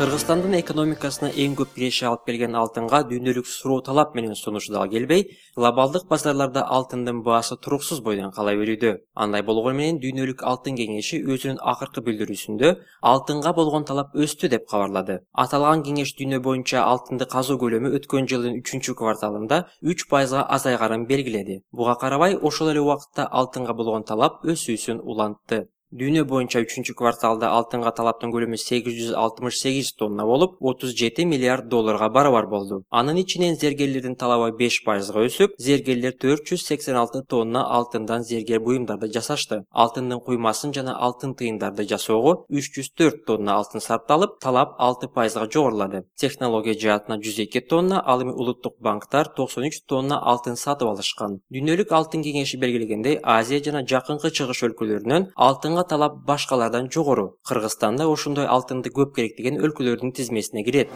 Кыргызстандын экономикасына эң көп киреше алып келген алтынга дүйнөлүк суроо талап менен сунушу дагы келбей, глобалдык базарларда алтындын баасы туруксуз бойдон кала берүүдө. Андай болгону менен дүйнөлүк алтын кеңеши өзүнүн акыркы билдирүүсүндө алтынга болгон талап өстү деп кабарлады. Аталган кеңеш дүйнө боюнча алтынды казуу көлөмү өткөн жылдын 3-кварталында 3% азайганын белгиледи. Буга карабай, ошол эле убакытта алтынга болгон талап өсүүсүн улантты. Дүйнө боюнча 3-кварталда алтынга талаптын көлөмү 868 тонна болуп, 37 миллиард долларга барабар болду. Анын ичинен зергерлердин талабы 5% өсүп, зергерлер 486 тонна алтындан зергер буюмдарды жасашты. Алтындын куймасын жана алтын тыйындарды жасоого 304 тонна алтын сарпталып, талап 6% жогорулады. Технология жаатына 102 тонна, ал эми улуттук банктар 93 тонна алтын сатып алышкан. Дүйнөлүк алтын кеңеши белгилегендей, Азия жана Жакынкы Чыгыш өлкөлөрүнөн алтынга талап башкалардан жогору. Кыргызстанда ошондой алтынды көп керектеген өлкөлөрдүн тизмесине кирет.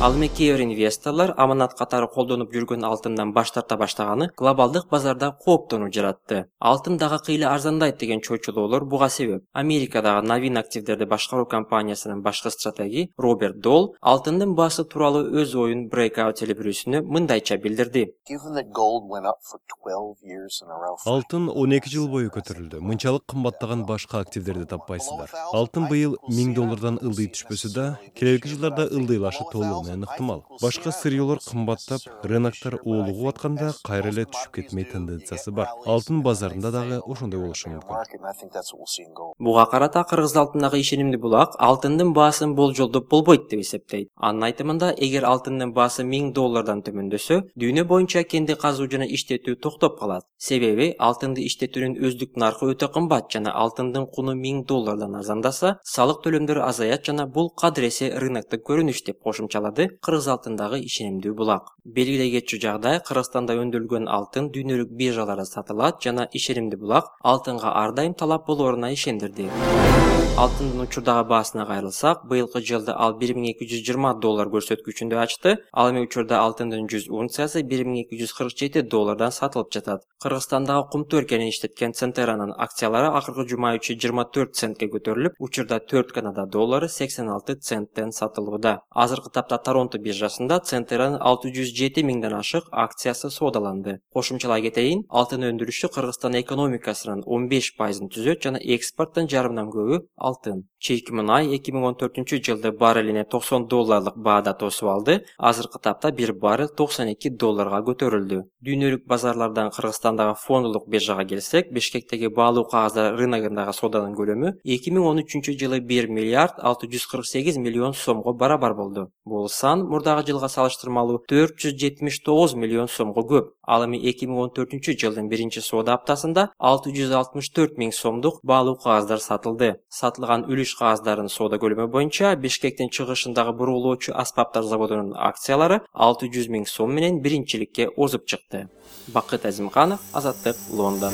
Ал эми кээ бир инвесторлор аманат катары колдонуп жүргөн алтындан баш тарта баштаганы глобалдык базарда кооптонуу жаратты. Алтын дагы кыйла арзандайт деген чочулоолор буга себеп. Америкадагы Новин активдерди башкаруу компаниясынын башкы стратеги Роберт Дол алтындын баасы тууралуу өз оюн Breakout телебирүүсүнө мындайча билдирди. Алтын 12 жыл бою көтөрүлдү. Мынчалык кымбаттаган башка активдерди таппайсыздар. Алтын быйыл $1000 ылдый түшпөсө да, келерки жылдарда ылдыйлашы толугу менен ыктымал. Башка сырьёлор кымбаттап, рыноктор уулугуп атканда кайра эле түшүп кетмей тенденциясы бар. Алтын базарында дагы ошондой болушу мүмкүн. Буга карата Кыргыз алтындагы ишенимдүү булак алтындын баасын болжолдоп болбойт деп эсептейт. Анын айтымында, эгер алтындын баасы $1000 төмөндөсө, дүйнө боюнча кенди казуу жана иштетүү токтоп калат. Себеби алтынды иштетүүнүн өздүк наркы өтө кымбат жана алтындын куну $1000 арзандаса, салык төлөмдөрү азаят жана бул кадыресе рыноктук көрүнүш деп кошумчалады Кыргыз алтындагы ишенимдүү булак. Белгилей кетчү жагдай, Кыргызстанда өндүрүлгөн алтын дүйнөлүк биржаларда сатылат жана ишенимдүү булак алтынга ар дайым талап болоруна ишендирди. Алтындын учурдагы баасына кайрылсак, быйылкы жылда ал $1220 көрсөткүчүндө ачты. Ал эми учурда алтындын 100 унциясы $1247 сатылып жатат. Кыргызстандагы кумту өлкөнү иштеткен Центеранын акциялары акыркы жума ичи 24 центке көтөрүлүп, учурда 4 Канада доллары 86 центтен сатылууда. Азыркы тапта Торонто биржасында Центеранын 607 миңден ашык акциясы соодаланды. Кошумчалай кетейин, алтын өндүрүшү Кыргызстан экономикасынын 15%-ын түзөт жана экспорттун жарымынан көбү алтын. Чийки мунай 2014 жылды баррелине $90 баада тосуп алды. Азыркы тапта бир баррел $92 көтөрүлдү. Дүйнөлүк базарлардан Кыргызстандагы фондулук биржага келсек, Бишкектеги баалуу кагаздар рыногундагы сооданын көлөмү 2013 жылы 1 миллиард 648 миллион сомго барабар болду. Бул сан мурдагы жылга салыштырмалуу 479 миллион сомго көп. Ал эми 2014 жылдын биринчи соода аптасында 664 миң сомдук баалуу кагаздар сатылды. Сатылган үлүш кагаздардын соода көлөмү боюнча Бишкектин чыгышындагы бурулуучу аспаптар заводунун акциялары 600 миң сом менен биринчиликке озуп чыкты. Бакыт Азимканов, Азаттык, Лондон.